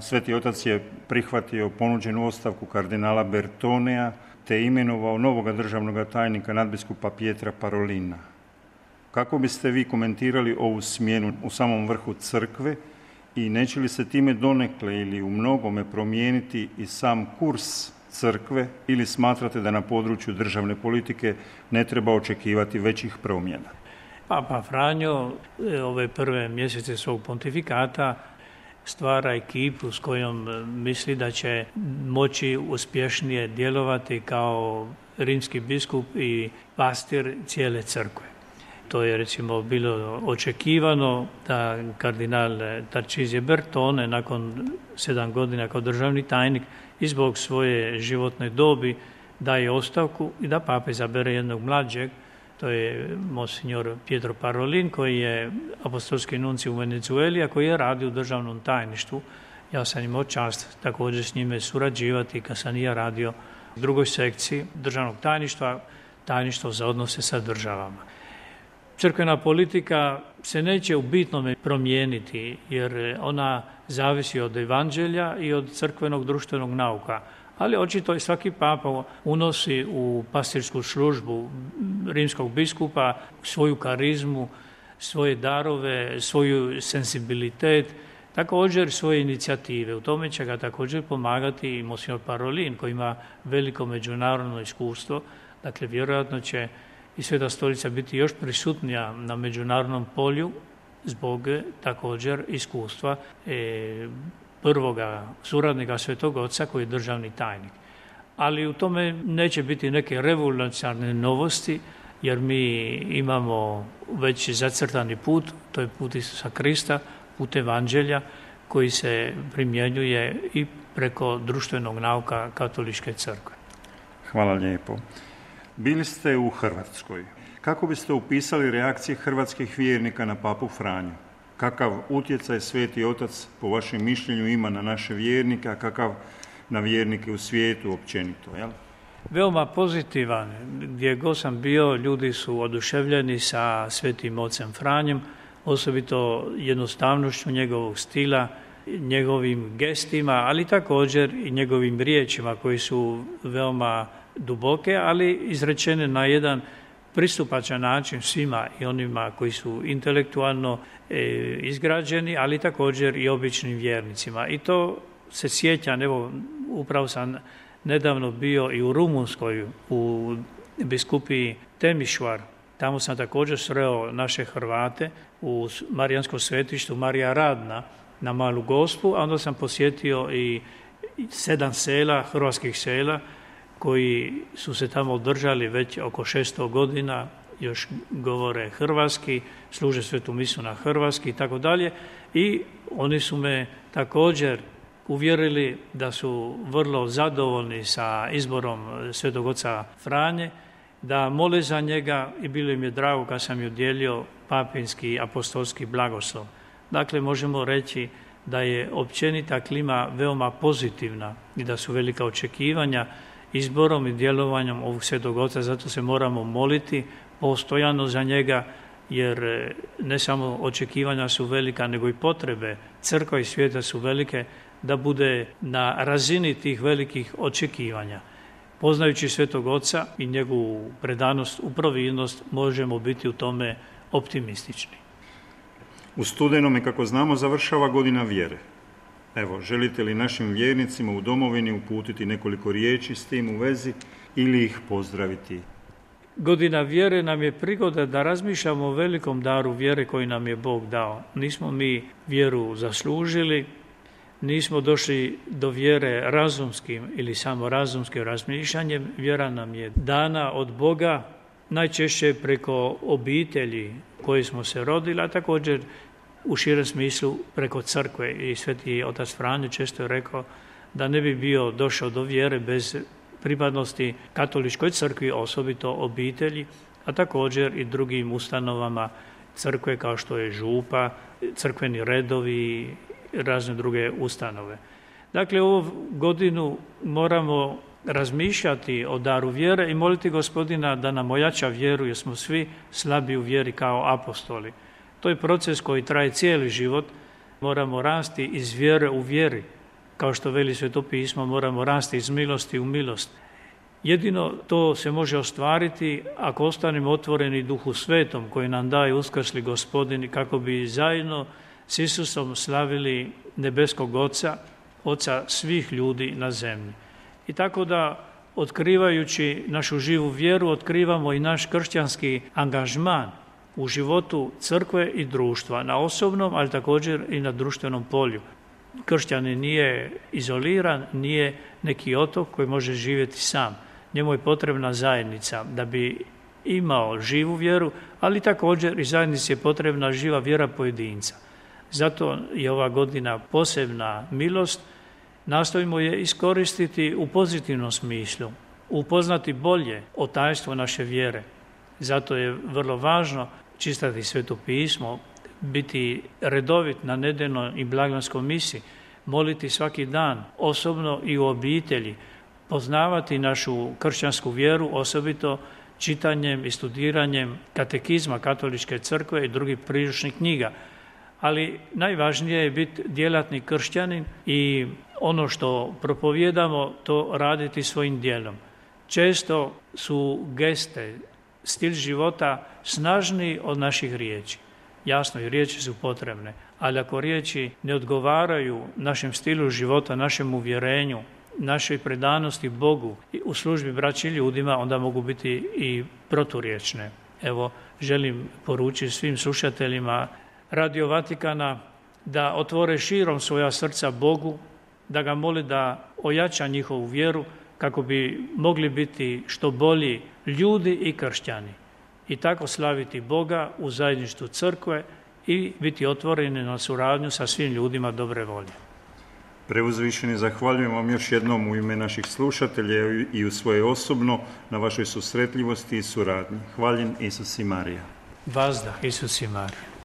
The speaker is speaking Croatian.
Sveti otac je prihvatio ponuđenu ostavku kardinala Bertonea te imenovao novoga državnog tajnika nadbiskupa Pietra Parolina. Kako biste vi komentirali ovu smjenu u samom vrhu crkve i neće li se time donekle ili u mnogome promijeniti i sam kurs crkve ili smatrate da na području državne politike ne treba očekivati većih promjena? Papa Franjo ove prve mjesece svog pontifikata stvara ekipu s kojom misli da će moći uspješnije djelovati kao rimski biskup i pastir cijele crkve. To je recimo bilo očekivano da kardinal Tarcisije Bertone nakon 7 godina kao državni tajnik i zbog svoje životne dobi daje ostavku i da papa izabere jednog mlađeg, to je monsignor Pietro Parolin koji je apostolski nunci u Venezueli, a koji je radio u državnom tajništvu. Ja sam imao čast također s njime surađivati kad sam i ja radio u drugoj sekciji državnog tajništva, tajništvo za odnose sa državama. Crkvena politika se neće u bitnome promijeniti jer ona zavisi od evanđelja i od crkvenog društvenog nauka. Ali očito i svaki papa unosi u pastirsku službu rimskog biskupa svoju karizmu, svoje darove, svoju senzibilitet, također svoje inicijative. U tome će ga također pomagati i monsignor Parolin koji ima veliko međunarodno iskustvo. Dakle, vjerojatno će i Sveta Stolica biti još prisutnija na međunarodnom polju zbog također iskustva prvoga suradnika Svetog Oca koji je državni tajnik. Ali u tome neće biti neke revolucionarne novosti jer mi imamo već zacrtani put, to je put Isusa Krista, put evanđelja koji se primjenjuje i preko društvenog nauka katoličke crkve. Hvala lijepo. Bili ste u Hrvatskoj. Kako biste upisali reakcije hrvatskih vjernika na papu Franju? Kakav utjecaj Sveti Otac po vašem mišljenju ima na naše vjernike, a kakav na vjernike u svijetu općenito? Jel? Veoma pozitivan. Gdje god sam bio, ljudi su oduševljeni sa Svetim Ocem Franjem, osobito jednostavnošću njegovog stila, njegovim gestima, ali također i njegovim riječima koji su veoma duboke, ali izrečene na jedan pristupačan način svima i onima koji su intelektualno izgrađeni, ali također i običnim vjernicima. I to se sjećam, evo, upravo sam nedavno bio i u Rumunskoj, u biskupiji Temišvar. Tamo sam također sreo naše Hrvate u Marijanskom svetištu Marija Radna na Malu Gospu, a onda sam posjetio i 7 sela, hrvatskih sela, koji su se tamo održali već oko 600 godina, još govore hrvatski, služe svetu misu na hrvatski i tako dalje. I oni su me također uvjerili da su vrlo zadovoljni sa izborom Svetog Oca Franje, da mole za njega i bilo im je drago kad sam ju dijelio papinski apostolski blagoslov. Dakle, možemo reći da je općenita klima veoma pozitivna i da su velika očekivanja izborom i djelovanjem ovog Svetog Oca, zato se moramo moliti postojano za njega, jer ne samo očekivanja su velika, nego i potrebe crkva i svijeta su velike da bude na razini tih velikih očekivanja. Poznajući Svetog Oca i njegovu predanost u providnost, možemo biti u tome optimistični. U studenome, kako znamo, završava godina vjere. Evo, želite li našim vjernicima u domovini uputiti nekoliko riječi s tim u vezi ili ih pozdraviti? Godina vjere nam je prigoda da razmišljamo o velikom daru vjere koji nam je Bog dao. Nismo mi vjeru zaslužili, nismo došli do vjere razumskim ili samo razumskim razmišljanjem. Vjera nam je dana od Boga, najčešće preko obitelji koje smo se rodili, a također u širem smislu preko crkve. I Sveti Otac Franjo često je rekao da ne bi bio došao do vjere bez pripadnosti katoličkoj crkvi, osobito obitelji, a također i drugim ustanovama crkve kao što je župa, crkveni redovi i razne druge ustanove. Dakle, ovu godinu moramo razmišljati o daru vjere i moliti Gospodina da nam ojača vjeru, jer smo svi slabi u vjeri kao apostoli. To je proces koji traje cijeli život. moramo rasti iz vjere u vjeri. Kao što veli Sveto pismo, moramo rasti iz milosti u milost. Jedino to se može ostvariti ako ostanemo otvoreni Duhu Svetom koji nam daje uskrsli Gospodin, kako bi zajedno s Isusom slavili nebeskog Oca, Oca svih ljudi na zemlji. I tako da, otkrivajući našu živu vjeru, otkrivamo i naš kršćanski angažman u životu crkve i društva, na osobnom, ali također i na društvenom polju. Kršćanin nije izoliran, nije neki otok koji može živjeti sam. Njemu je potrebna zajednica da bi imao živu vjeru, ali također i zajednici je potrebna živa vjera pojedinca. Zato je ova godina posebna milost. Nastojimo je iskoristiti u pozitivnom smislu, upoznati bolje o tajstvu naše vjere. Zato je vrlo važno čitati Sveto pismo, biti redovit na nedeljnoj i blagdanskoj misi, moliti svaki dan, osobno i u obitelji, poznavati našu kršćansku vjeru, osobito čitanjem i studiranjem katekizma Katoličke crkve i drugih priručnih knjiga. Ali najvažnije je biti djelatni kršćanin i ono što propovijedamo, to raditi svojim djelom. Često su geste, stil života snažniji od naših riječi. Jasno, i riječi su potrebne, ali ako riječi ne odgovaraju našem stilu života, našem uvjerenju, našoj predanosti Bogu i u službi braći i ljudima, onda mogu biti i proturječne. Evo, želim poručiti svim slušateljima Radio Vatikana da otvore širom svoja srca Bogu, da ga moli da ojača njihovu vjeru kako bi mogli biti što bolji ljudi i kršćani. I tako slaviti Boga u zajedništvu crkve i biti otvoreni na suradnju sa svim ljudima dobre volje. Preuzvišeni, zahvaljujem vam još jednom u ime naših slušatelja i u svoje osobno na vašoj susretljivosti i suradnji. Hvaljen Isus i Marija. Vazda, Isus i Marija.